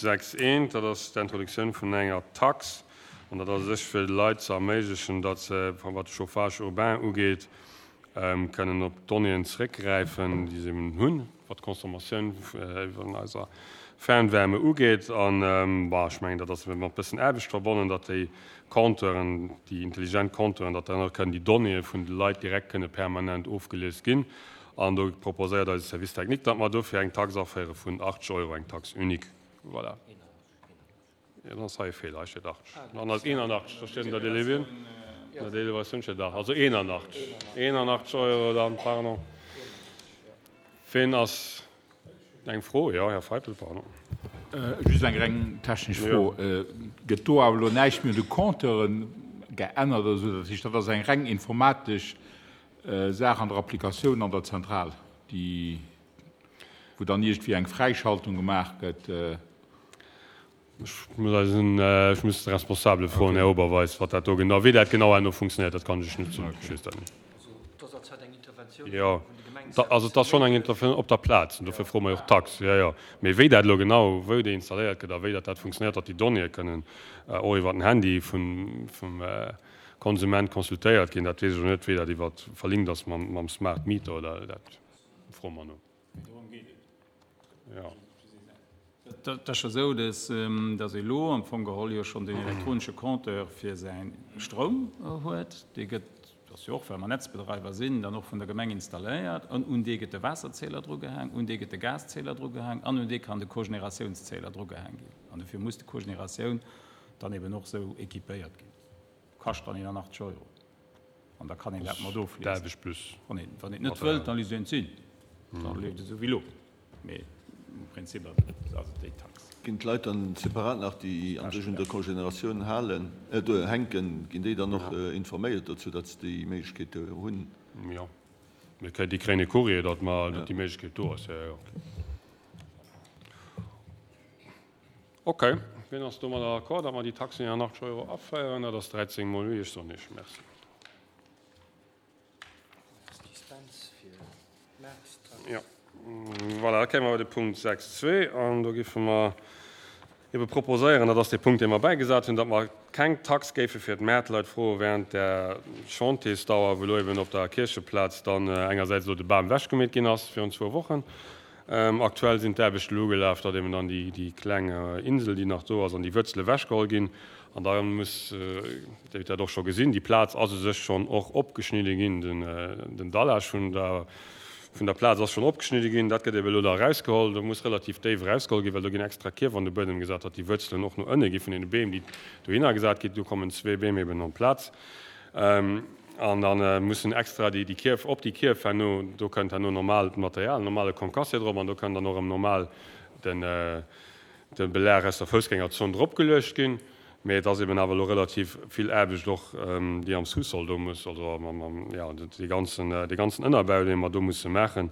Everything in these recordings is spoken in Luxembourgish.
6 eent, dat ass d'Introduktioun vun enger Tax, an dat ass u sech fir de Leit ze erméiglechen, datt se, wat de Chauffage urbain ugeet, kënnen op d'Donnéeën zeréckgräifen, déi se eben hunn, wat d'Consommatioun vun eiser Fernwärme ugeet. An, bon, ech mengen, dat ass mat e bëssen Aarbecht verbonnen, datt déi Compteuren, déi intelligent Compteuren, datt dann och kënnen déi Donnéeë vun de Leit direkt kënne permanent ofgelies ginn. An do proposéiert eise Service technique, datt mer dofir eng Tax aféiere vun 80 Euro, eng Taxe unique. Voilà. Jo, dann ass hei e Feeler, hei steet 80. Dann ass 81, do steet an der Délibératioun, an der Délibératioun steet 80, also 81, 81 Euro dann, pardon. Ween ass, eng Fro? Jo, Här Feipel, pardon. Just eng reng technesch Fro, Gëtt do awer elo näischt méi un de Compteuren geännert oder esou? Dat heescht, dat ass eng reng informatesch Saach an der Applikatioun an der Zentral, déi, wou dann iergendwéi eng Fräischaltung gemaach gëtt? Ech muss eisen, ech muss de Responsabele froen, Här Oberweis, wat dat do genau, wéi dat genau herno funktionéiert, dat kann ech lech net soen. Ech weess dat net. Jo, also et ass schonn eng Interventioun op der Plaz, an dofir froe mer jo och d'Tax. Jo, jo. Mee wéi dat elo genau, wou déi installéiert gëtt a wéi dat dat funktionéiert, datt déi Donnéeë kënnen och iwwer den Handy vum, vum Konsument consultéiert ginn, dat weess ech elo net, wéi dat iwwer verlinkt ass mam, mam Smart Meter oder dat froe mer no. Dorëm geet et. Jo. Dat ass jo esou, dass ee elo am Fong geholl jo schonn deen elektronische Compteur fir säi Stroum huet. Dee gëtt, dat ass jo och, well mer Netzbedreiwer sinn, dann och vun der Gemeng installéiert. An un dee gëtt de Waasserzähler drugehaang, un dee gëtt de Gaszähler drugehaang an un dee kann de Cogénératiounszähler drugehaang ginn. An dofir muss de Cogénératioun dann eben och esou équipéiert ginn. Kascht dann 81 Euro. An da kann een dat mat ofliesen. Wann een wann een et net wëllt, da léisst een et sinn. Da leeft et esou wéi elo. Mee am Prinzip ass et déi Tax. Ginn d'Leit dann separat nach, déi an sech un der Congénératioun halen, hänken, ginn déi dann och informéiert dozou, datt se déi Méiglechkeet hunn? Jo, déi kréien e Courrier, datt mer, datt déi Méiglechkeet do ass. Jo, jo. Ok, wien ass domadder d'accord, datt mer déi Taxe 81 Euro aféieren? Dat ass 13 mol oui. Ech soen Iech Merci. Jo, voilà, da kéime mer bei de Punkt 6.2 an do géife mer ebe proposéieren, dat ass dee Punkt, dee mer bäigesat hunn, datt mer keng Tax géife fir d'Mäertleit froe während der Chantiersdauer, wou elo eben op der Kiercheplaz dann engersäits elo de Bam ewechgemeet ginn ass virun zwou Wochen, Aktuell sinn d'Aarbechten elo ugelaf, datt eben dann déi kleng Insel, déi nach do ass, an déi Wuerzele ewechgeholl ginn. An da muss, Dir hutt dat och scho gesinn, déi Plaz ass u sech schonn och opgeschnidde ginn, den Dallage vun der vun der Plaz ass schonn opgeschnidde ginn. Dat gëtt eben elo da erausgeholl. Do muss relativ déif erausgeholl ginn, well do ginn extra Kierf an de Buedem gesat, datt déi Wuerzelen och no ënne gi vun deene Beem, déi dohinner gesat ginn. Do kommen zwee Beem eben an d'Plaz. An da mussen extra déi Kierf, op déi Kierf herno, do kënnt herno normaalt Material, normale Concassé drop an do kënnt dann och erëm normal den, de Belag aus der Foussgängerzon drop geluecht ginn. Mee et ass eben awer elo relativ vill Aarbecht och, déi am Sous-sol do muss, also am, am, jo, dee ganzen, dee ganzen Ënnerbau, dee mer do musse maachen,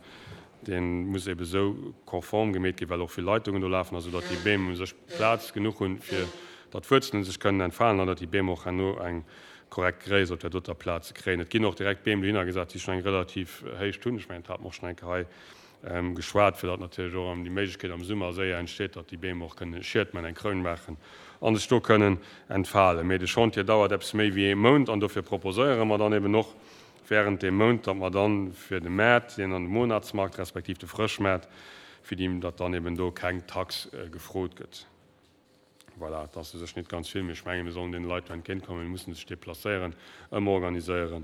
dee muss eben esou konform gemeet ginn, well och vill Leitungen do lafen, also datt déi Beem u sech Plaz genuch hunn, fir datt d'Wuerzelen sech kënnen entfalen an datt déi Beem och herno eng korrekt Gréisst op där doter Plaz ze kréien. Et ginn och direkt Beem dohinner gesat, déi schonn eng relativ Héicht hunn. Ech mengen, dat hate mer och schonn eng Kéier hei geschwat, fir datt natierlech och erëm déi Méiglechkeet am Summer séier entsteet, datt déi Beem och kënnen Schiet maachen, eng Kroun maachen a sech do kënnen entfalen. Mee de Chantier dauert eppes méi wéi ee Mount an dofir proposéiere mer dann eben och während deem Mount, datt mer dann fir de Maart, deen an de Monatsmarkt respektiv de Frëschmaart, fir déi, datt dann eben do keng Tax gefrot gëtt. Voilà, et ass u sech net ganz vill, mee ech mengen, mir sollen deene Leit do entgéintkommen. Mir mussen sech deplacéieren, ëmorganiséieren.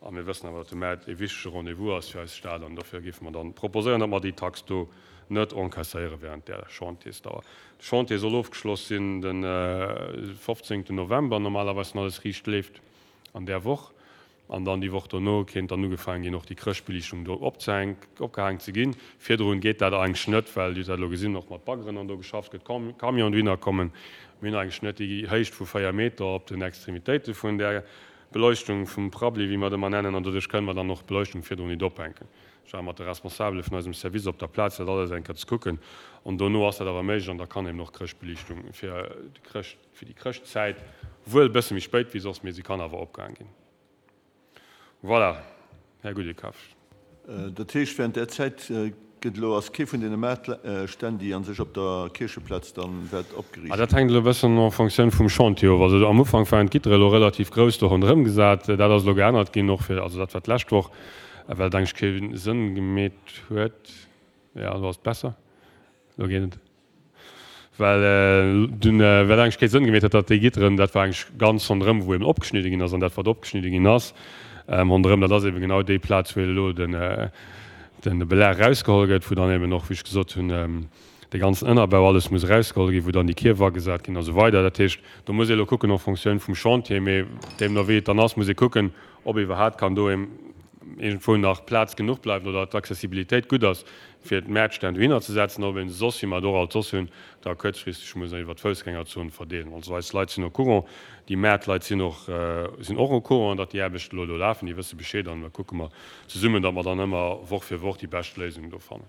A mir wëssen awer, datt de Maart e wichtege Rendez-vous ass fir eis Stad. An dofir géife mer dann proposéieren, datt mer déi Tax do net encaisséiere während där Chantiersdauer. De Chantier soll ofgeschloss sinn de 15. November, normalerweis, wann alles riicht leeft, an där Woch. An dann déi Woch dono kéint dann ugefaangen ginn, och déi Chrëschtbeliichtung do opgehaang ze ginn. Virdrun geet dat eigentlech net, well, Dir hutt dat elo gesinn, och mat Baggeren an do geschafft gëtt, Camionen dohinner kommen. Mir hunn eigentlech net déi Héicht vu 4 Meter op den Extremitéite vun där Beleuchtung, vum Prabbeli, wéi mer et ëmmer nennen, an doduerch kënnen mer dann och d'Beleuchtung virdrun nit ophänken. Ech war mat de Responsabele vun eisem Service op der Plaz, dat alles eng Kéier ze kucken. An dono ass dat awer méiglech an da kann eben och d'Chrëschtbeliichtung fir de Chrëscht, Fir déi Chrëschtzäit, wuel e bësse méi spéit wéi soss, mee se kann awer opgaang ginn. Voilà, Här Gudekapf. Dat heescht, während där Zäit. Gëtt elo, ass kee vun deene Maartstänn, déi a sech op der Kiercheplaz dann wäert opgeriicht Ah, dat hänkt elo e bëssen en Fonctioun vum Chantier of. Also am Ufank waren d'Gittere elo relativ grouss do ronderëm gesat. Dat ass elo geännert ginn, och fir, also dat war d'lescht Woch, well et eigentlech kee Sënn gemeet huet. Jo, elo ass et besser. Elo geet et. Well dunn, well eigentlech kee Sënn gemeet huet, datt déi Gitteren, dat war eigentlech ganz ronderëm, wou eben opgeschnidde ginn ass, an dat wat opgeschnidde ginn ass ronderëm, dat ass eben genau déi Plaz, wou elo den, den Belag erausgeholl gëtt, wou dann eben och, wéi ech gesot hunn, de ganzen Ënnerbau, alles muss erausgeholl ginn, wou dann déi Kierf agesat ginn a sou weider. Dat heescht, do muss ee elo kucken en Fonctioun vum Chantier, mee deemno wéi et dann ass, muss ee kucken, ob iwwerhaapt kann do iergendwou nach Plaz genuch bleiwen oder d'Accessibilitéit gutt ass, fir d'Mäertstänn dohinner ze setzen, ob een se soss, wéi mer et och alt soss hunn, da kuerzfristeg muss iwwer d'Foussgängerzon verdeelen. Also eis Leit sinn au courant, déi Mäertleit sinn och, sinn och au courant, datt déi Aarbechten elo do lafen, déi wësse Bescheed an da kucke mer zesummen, datt mer dann ëmmer Woch fir Woch déi bescht Léisung do fannen.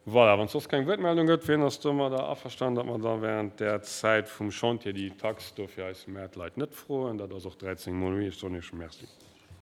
Voilà, wann et soss keng Wuertmeldung gëtt, wien ass domadder averstanen, datt mer da während där Zäit vum Chantier déi Tax do fir eis Mäertleit net froen? Dat ass och 13 mol oui. Ech soen Iech Merci.